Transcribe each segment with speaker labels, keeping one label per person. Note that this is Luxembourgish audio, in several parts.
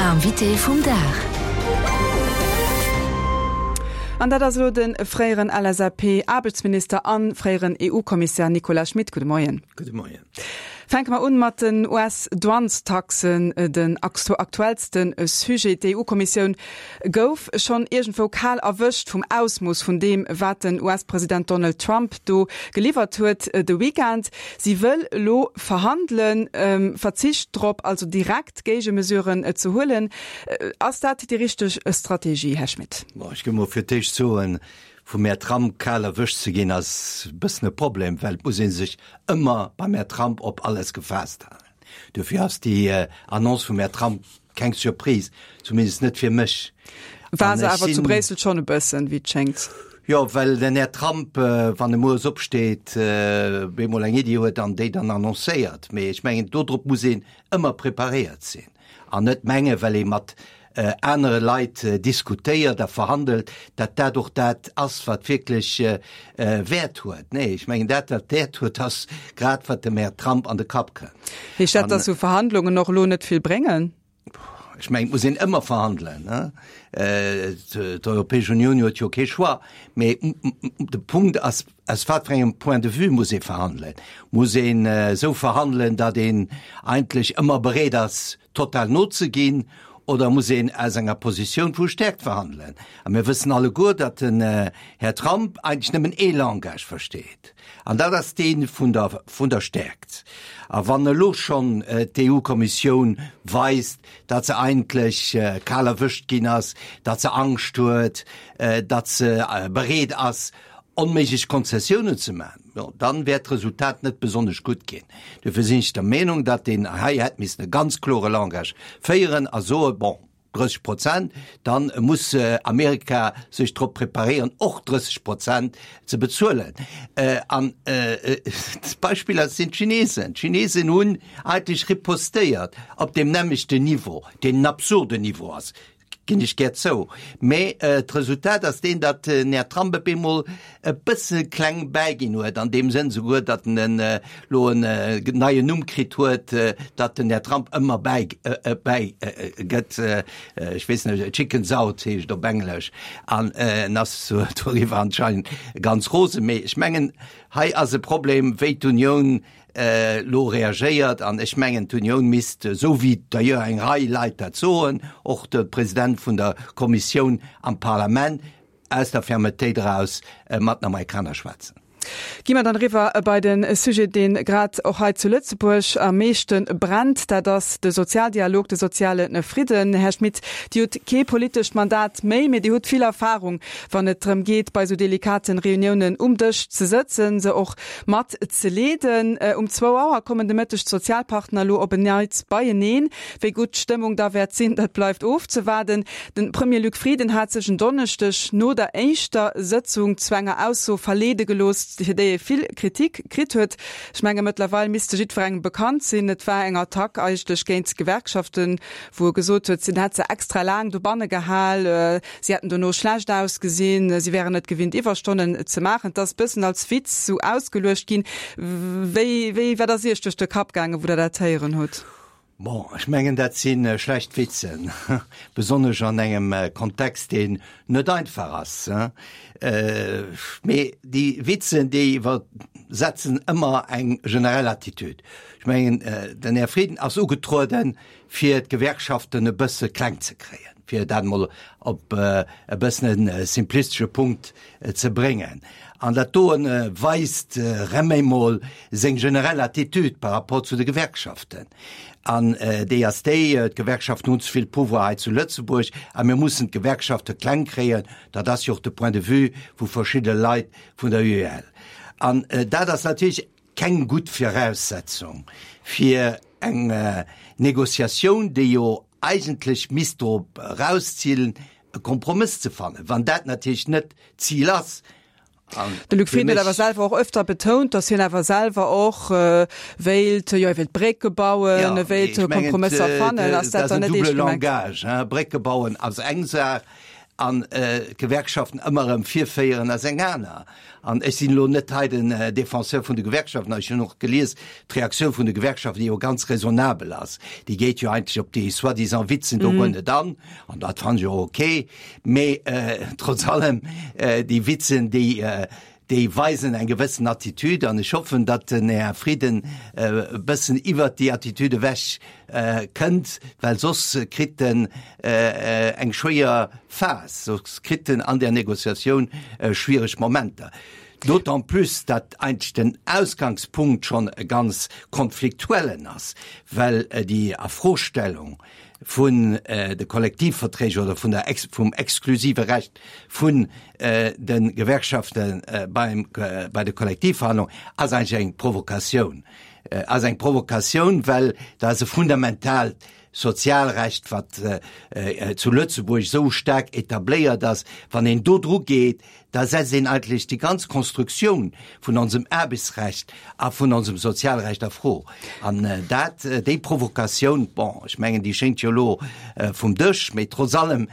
Speaker 1: L'invité vum Dag.
Speaker 2: An dat ass elo de fréieren LSAP-Aarbechtsminister a fréieren EU-Kommissär Nicolas Schmit. Gudde Moien.
Speaker 3: Gudde Moien.
Speaker 2: Fänke mer un mat den US-Douanestaxen, den aktuellste Sujet. D'EU-Kommissioun gouf schonn iergendwou kal erwëscht vum Ausmooss vun deem, wat den US-President Donald Trump do geliwwert huet de Weekend. Si wëll elo verhandelen, verzicht drop also direkt Géigemesuren ze huelen. Ass dat déi richteg Strategie, Här Schmit?
Speaker 3: Bon, ech géif mol fir d'éischt soen, vum Här Trump kal erwëscht ze ginn ass e bëssen e Problem, well et muss ee sech ëmmer beim Här Trump op alles gefaasst halen. Dofir ass déi Annonce vum Här Trump keng Surprise, zumindest net fir mech.
Speaker 2: War se awer zu Bréissel schonn e bëssen, wéi et schéngt.
Speaker 3: Jo, well den Här Trump, wann e mueres opsteet, bemol eng Iddi huet an déi dann annoncéiert. Mee ech mengen, dodrop muss een ëmmer preparéiert sinn an net mengen, well ee mat anere Leit diskutéiert a verhandelt, datt dat och dat ass, wat wierklech Wäert huet. Nee, ech mengen, dat, wat Wäert huet, ass grad, wat dem Här Trump an de Kapp kënnt.
Speaker 2: Heescht dat, datt esou Verhandlungen och elo net vill bréngen?
Speaker 3: Ech mengen, et muss een ëmmer verhandelen. D'Europäesch Unioun huet jo kee Choix. Mee de Punkt ass, aus wat fir engem Point de vue muss ee verhandelen? Muss een esou verhandelen, datt een eigentlech ëmmer bereet ass, total nozeginn, oder muss een aus enger Positioun vu Stäerkt verhandelen? A mir wëssen alleguer, datt den Här Trump eigentlech nëmmen ee Langage versteet, an dat ass dee vun der, vun der Stäerkt. A wann elo schonn d'EU-Kommissioun weist, datt se eigentlech kal erwëscht ginn ass, datt se Angscht huet, datt se bereet ass, onméiglech Konzessiounen ze maachen, jo, dann wäert d'Resultat net besonnesch gutt ginn. Dofir sinn ech der Meenung, datt een hei hätt missen e ganz klore Langage féieren a soen, bon, 30 Prozent, dann muss Amerika sech drop preparéieren, och 30 Prozent ze bezuelen. An d'Beispiller sinn d'Chinesen. D'Chinesen hunn eigentlech ripostéiert op deem nämmlechten Niveau, deen en absurden Niveau ass. Ginn ech gär zou. Mä d'Resultat ass deen, datt den Här Trump op eemol e bësse kleng bäiginn huet, an deem Sënn souguer, datt en elo en neien Numm kritt huet, datt den Här Trump ëmmer bäi gëtt. Ech weess net, chickens out heescht op Englesch. An en ass doriwwer anscheinend ganz rosen. Mee ech mengen, hei ass e Problem, wéi d'Unioun elo reagéiert. An ech mengen, d'Unioun misst, esou wéi d'ailleurs eng Rei Leit dat soen, och de President vun der Kommissioun am Parlament, aus der Fermetéit eraus mat den Amerikaner schwätzen.
Speaker 2: Gi mer dann eriwwer bei de Sujet, dee grad och hei zu Lëtzebuerg am meeschte brennt, dat ass de Sozialdialog, de soziale Fridden. Här Schmit, Dir hutt kee politescht Mandat méi, mee Dir hutt vill Erfahrung, wann et drëm geet, bei esou delikaten Reuniounen um Dësch ze sëtzen, se och mat ze leeden. Um zwou Auer kommen de Mëtteg d'Sozialpartner elo op en Neits beieneen. Wéi gutt d'Stëmmung da wäert sinn, dat bleift ofzewaarden. De Premier Luc Frieden hat sech en Donneschdeg no der éischter Sëtzung zu enger Ausso verleede gelooss, fir déi e vill Kritik kritt huet. Ech menge mëttlerweil misst se jiddwerengem bekannt sinn. Et war eng Attack eigentlech géint d'Gewerkschaften, wou e gesot huet, si hätt se extra laang dobanne gehal. Si hätten dono schlecht ausgesinn, si wären net gewinnt Iwwerstonnen ze maachen. Et ass bëssen als Witz sou ausgeluecht ginn. Wéi, wéi, wat ass Iech duerch de Kapp gaangen, wou Der dat héieren hutt?
Speaker 3: Bon, ech mengen, dat si schlecht Witzen, besonnesch an engem Kontext, deen net einfach ass. Mee déi Witzen, déi iwwersetzen ëmmer eng generell Attitude. Ech mengen, den Här Frieden ass ugetrueden, fir d'Gewerkschaften e bësse kleng ze kréien, fir dat emol op e bëssen e simplistesche Punkt ze bréngen. An dat doen weist erëm eemol seng generell Attitude par rapport zu de Gewerkschaften. An déi ass déi, d'Gewerkschaften hunn ze vill Pouvoir hei zu Lëtzebuerg a mir mussen d'Gewerkschafte kleng kréien. Dat ass jo och de Point de vue vu verschidde Leit vun der UEL. An dat ass natierlech keng gutt Viraussetzung fir eng Négociatioun, déi jo eigentlech misst drop erauszilen, e Kompromëss ze fannen, wann dat natierlech net d'Zil ass.
Speaker 2: De Luc Frieden huet awer selwer och öfter betount, datt hien awer selwer och wéilt, jo, e wéilt Brécke bauen, e wéilt Kompromësser fannen.
Speaker 3: Ass dat dann net eescht gemengt? Langage, Brécke bauen ass eng Saach. An d'Gewerkschaften ëmmer erëm virféieren, ass eng aner. An ech sinn elo net hei den Défenseur vun de Gewerkschaften, ech hunn och gelies, d'Reaktioun vun de Gewerkschaften, déi jo ganz raisonnabel ass, déi geet jo eigentlech op déi soi-disant Witzen do guer net an, an dat fannen ech och okay, mee trotz allem, déi Witzen, déi déi weisen eng gewëssen Attitude an ech hoffen, datt den Här Frieden e bëssen iwwert déi Attitude ewech kënnt, well soss kritt en eng schwéier Phas, soss kritt en an där Négociatioun schwiereg Momenter. D'autant plus, datt eigentlech den Ausgangspunkt schonn e ganz konfliktuellen ass, well déi Afrostellung vun de Kollektivverträg oder vun der vum exklusive Recht vun de Gewerkschafte beim bei de Kollektivverhandlungen ass eigentlech eng Provokatioun, ass eng Provokatioun, well dat ass e fundamentaalt Sozialrecht, wat zu Lëtzebuerg esou staark etabléiert ass. Wann een do dru geet, da setzt een eigentlech déi ganz Konstruktioun vun onsem Aarbechtsrecht a vun onsem Sozialrecht a Fro. An dat, déi Provokatioun, bon, ech mengen, déi schéngt jo elo vum Dësch, mee trotz allem,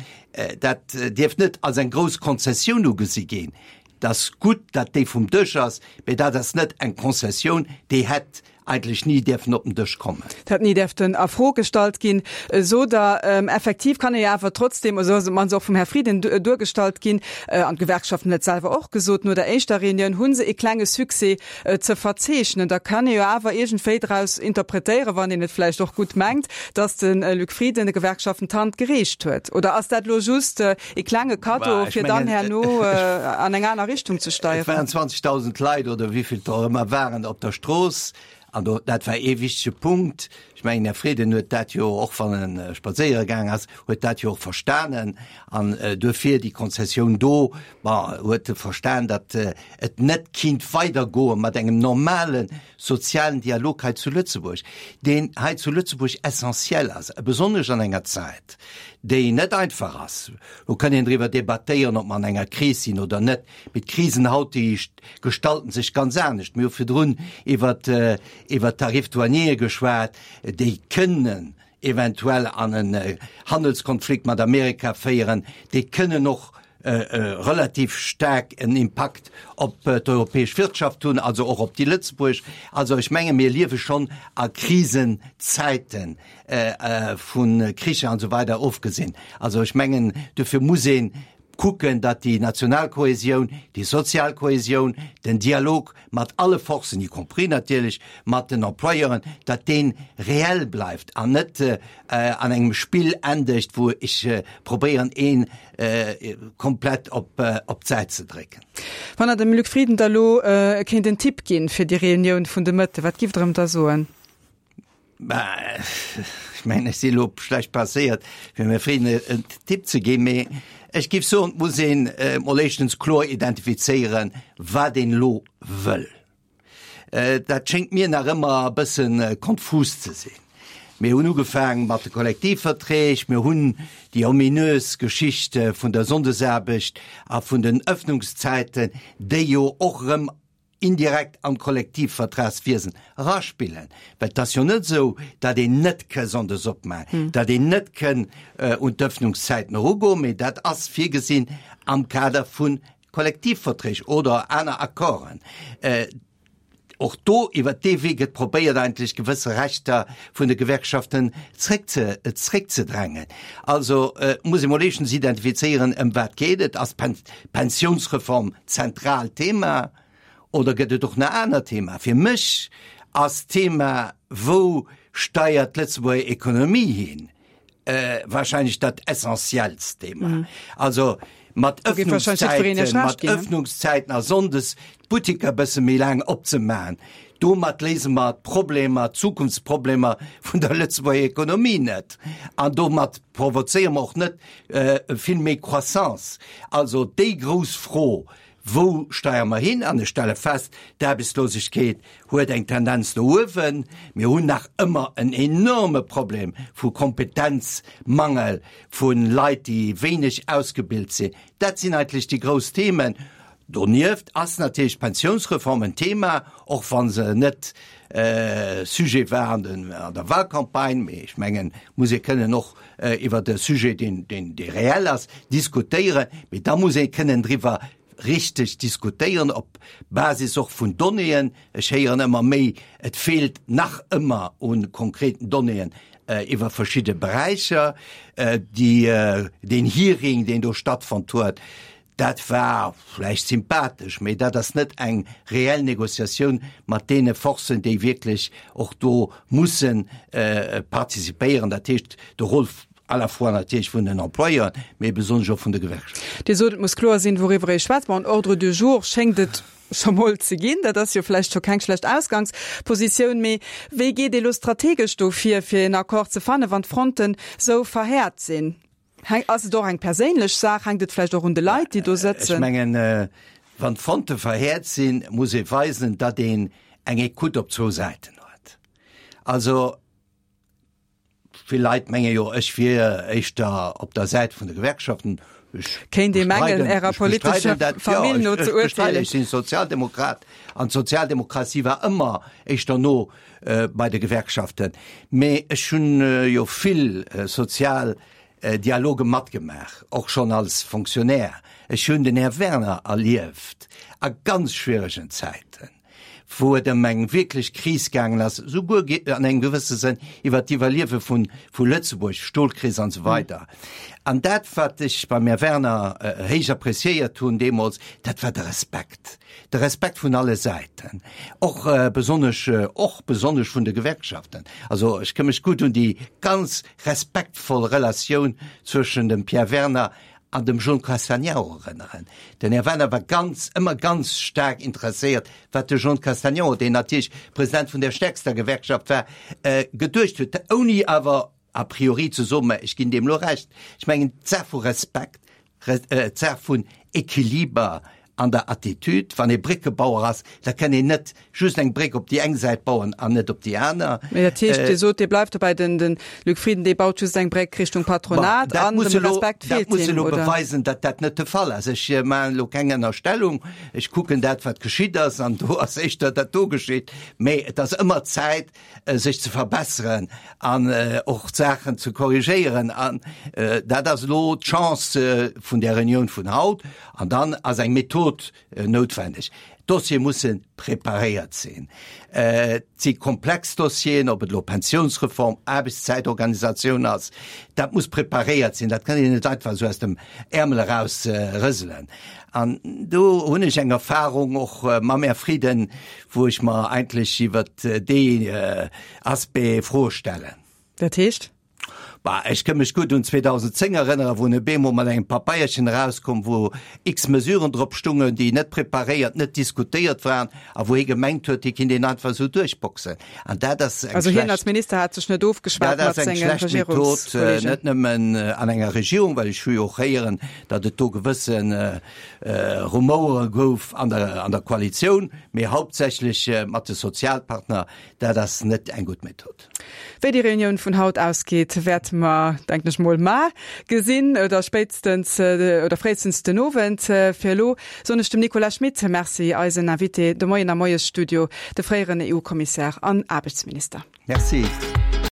Speaker 3: dat dierf net als eng grouss Konzessioun ugesi ginn. Et ass gutt, datt déi vum Dësch ass, mee dat ass net eng Konzessioun, déi hätt eigentlech ni däerfen op den Dësch kommen.
Speaker 2: Et hätt ni däerften a Fro gestallt ginn, sot Der. Effektiv kann ee jo awer trotzdem, esou ass et mannst och vum Här Frieden duergestallt ginn, an d'Gewerkschaften hunn et selwer och gesot, no der éischter Reunioun hu se ee klenge Succès ze verzeechnen. Da kann ee jo awer iergendwéi draus interpretéieren, wann een et vläicht och gutt mengt, datt de Luc Frieden de Gewerkschaften d'Hand gereecht huet. Oder ass dat elo just ee klenge Kaddo, fir dann herno an eng aner Richtung ze steieren?
Speaker 3: Et waren 20.000 Leit oder wéivill et och ëmmer waren op der Strooss an do, dat war ee wichtege Punkt. Ech mengen, Här Frieden huet dat jo och, wann e spadséiere gaang ass, huet dat jo och verstanen an duerfir déi Konzessioun do, bon, huet e verstan, datt et net kinnt weidergoe mat engem normale sozialen Dialog hei zu Lëtzebuerg, deen hei zu Lëtzebuerg essentiell ass, besonnesch an enger Zäit, déi net einfach ass. Do kann een driwwer debattéieren, ob mer an enger Kris sinn oder net, mee d'Krisen haut, déi gestalten sech ganz anescht. Mir hu virdrun iwwert iwwert d'Tarifs douaniers geschwat, déi kënnen eventuell an en Handelskonflikt mat Amerika féieren, déi kënnen och relativ staark en Impakt op d'europäesch Wirtschaft hunn, also och op déi Lëtzebuerg. Also ech menge mir liewe schonn a Krisenzäiten, vu Kricher an esou weider ofgesinn. Also ech mengen, dofir muss ee kucken, datt déi national Kohäsioun, déi sozial Kohäsioun, den Dialog mat alle Forcen, y compris natierlech mat den Employeuren, datt dee reell bleift an net an engem Spill endegt, wou ech probéieren, ee komplett op d'Säit ze drécken.
Speaker 2: Wann Der dem Luc Frieden da lo kéint en Tipp ginn fir déi Reunioun vun de Mëtte, wat giff Der em da soen?
Speaker 3: Bah, ech mengen, ech si elo schlecht placéiert, fir dem Här Frieden en Tipp ze ginn, mee ech géif soen, et muss een emol éischtens kloer identifizéieren, wat een elo wëll. Dat schéngt mir nach ëmmer e bësse konfus ze sinn. Mir hunn ugefaang mat de Kollektivverträg, mir hunn déi ominös Geschicht vun der Sonndesaarbecht a vun den Öffnungszäiten, déi jo och erëm indirekt an d'Kollektivvertragswiesen eraspillen, well et ass jo net esou, datt een net ke sonndes opmaachen, datt een net kënn un d'Öffnungszäiten erugoen, mee dat ass virgesinn am Kader vu Kollektivverträg oder aner Accorden. Och do, iwwert dee Wee gëtt probéiert eigentlech gewësse Rechter vun de Gewerkschaften zréckze zréckzedrängen. Also muss ee mol éischtens identifizéieren, ëm wat geet et. Ass d'Pensiounsreform d'zentraalt Thema oder gëtt et och nach aner Thema? Fir mech ass d'Thema, wou steiert d'Lëtzebuerger Ekonomie hin, wahrscheinlech dat essentiellst Thema. Also mat Öffnungszäiten, mat Öffnungszäiten a sonndes d'Buttiker e bësse méi laang opzemaachen, domat léise mer d'Problemer, d'Zukunftsproblemer vun der Lëtzebuerger Ekonomie net. An domat provozéiere mer och net vill méi Croissance. Also déi grouss Fro, Wou steiere mer hin? An ech stelle fest, d'Aarbechtslosegkeet huet eng Tendenz no uewen. Mir hunn nach ëmmer en enorme Problem vu Kompetenzmangel, vu Leit, déi wéineg ausgebilt sinn. Dat sinn eigentlech déi grouss Themen. Donieft ass natierlech d'Pensiounsreform en Thema, och wa se net. Sujet war an den, an der Wahlcampagne, mee ech mengen, muss ee kënnen och iwwert e Sujet, deen, deen, dee reell ass, diskutéieren, mee da muss ee kënnen driwwer richteg diskutéieren op Basis och vun Donnéeën. Ech héieren ëmmer méi, et feelt nach ëmmer u konkreten Donnéeën iwwer verschidde Beräicher. Déi, deen Hearing, deen do stattfonnt huet, dat war vläicht sympathesch, mee dat ass net eng reell Négociatioun mat deene Forcen, déi wierklech och do mussen participéieren, dat heescht de Rôle à la fois natierlech vun den Employeuren, mee besonnesch och vun de Gewerkschaften.
Speaker 2: Dir sot, et muss kloer sinn, wouriwwer ee schwätzt. Bon, en Ordre du jour schéngt et scho mol ze ginn. Dat ass jo vläicht scho keng schlecht Ausgangspositioun. Mee wéi geet ee lo strategesch do vir, fir een Accord ze fannen, wann d'Fronten sou verhäert sinn? Ass et och eng perséinlech Saach? Hänkt et vläicht och un de Leit, déi do sëtzen?
Speaker 3: Ech mengen, wann d'Fronte verhäert sinn, muss ee weisen, datt een eng Ecoute op zwou Säiten huet. Also, Vill Leit menge jo, ech wier éischter op der Säit vun de Gewerkschaften.
Speaker 2: Ech Kéint ee mengen, Ärer politescher Famill no ze urteelen.
Speaker 3: Ech sinn Sozialdemokrat an d'Sozialdemokratie war ëmmer éischter no bei de Gewerkschaften. Mee ech hunn jo vill sozial Dialoge matgemaach, och schonn als Fonctionnaire. Ech hunn den Här Werner erlieft a ganz schwieregen Zäiten. wou et ëm eng wierklech Kris gaangen ass, souguer an engem gewësse Sënn iwwert d'Iwwerliewe vun, vu Lëtzebuerg, Stolkris an esou weider. An dat, wat ech beim Här Werner héich appréciéiert hunn deemools, dat war de Respekt, de Respekt vun alle Säiten, och besonnesch, och besonnesch vun de Gewerkschaften. Also ech ka mech gutt un déi ganz respektvoll Relatioun zwëschen dem Pierre Werner an dem Jean Castagnaro erënneren. Den Här Werner war ganz, ëmmer ganz staark interesséiert, wat de Jean Castagnaro, deen natierlech President vun der stäerkster Gewerkschaft war, geduecht huet, ouni awer a priori ze soen, mä ech ginn deem elo Recht. Ech mengen, d'Saach vu Respekt, d'Saach vun Equiliber An der Attitude, wann ee Bréckebauer ass, da kann een net just eng Bréck op déi eng Säit bauen an net op déi aner.
Speaker 2: Mee dat heescht, Dir sot, Dir bleift dobäi, den de Luc Frieden, dee baut just eng Bréck Richtung Patronat an dem Respekt
Speaker 3: feelt him, oder? Dat muss elo beweisen, datt dat net de Fall ass. Ech maachen elo keng Ënnerstellung. Ech kucken dat, wat geschitt ass, an do ass éischter dat do geschitt. Mee et ass ëmmer Zäit, sech ze verbesseren an och d'Saachen ze korrigéieren. An dat ass elo d'Chance vun där Reunioun vun haut. An dann ass eng Method noutwendeg. D'Dossiere musse preparéiert sinn. Et si komplex Dossieren, ob et elo Pensionsreform, Aarbechtszäitorganisatioun ass, dat muss preparéiert sinn. Dat kann een net einfach esou aus dem Äermel eraus rëselen. An do hunn ech eng Erfahrung och mam Här Frieden, wou ech mer eigentlech iwwert dee Aspect Froe stellen.
Speaker 2: Dat heescht?
Speaker 3: Bah, ech kënn mech gutt un 2010 erënneren, wou en op eemol mat engem Papeierchen erauskomm, wou x Mesuren drop stungen, déi net preparéiert, net diskutéiert waren a wou hie gemengt huet, hie kinnt een einfach esou duerchboxen. An dat ass
Speaker 2: eng Also hien als schlecht, Minister hat sech net ofgeschwat
Speaker 3: dat ass mat eng senge schlecht Method, Regierungskollegen. net nëmmen an enger Regierung, well ech hu jo och héieren, datt et do gewësse Rumouere gouf an der, an der Koalitioun, mee hauptsächlech mat de Sozialpartner. Dat ass net eng gutt Method.
Speaker 2: Wéi déi Reunioun vun haut ausgeet, wäerte mer, denken ech mol, mar gesinn oder spéitstens oder fréistens den Owend. Fir elo soen ech dem Nicolas Schmit Merci, eisen Invité de Moien am Moiesstudio, de fréieren EU-Kommissär an Aarbechtsminister.
Speaker 3: Merci.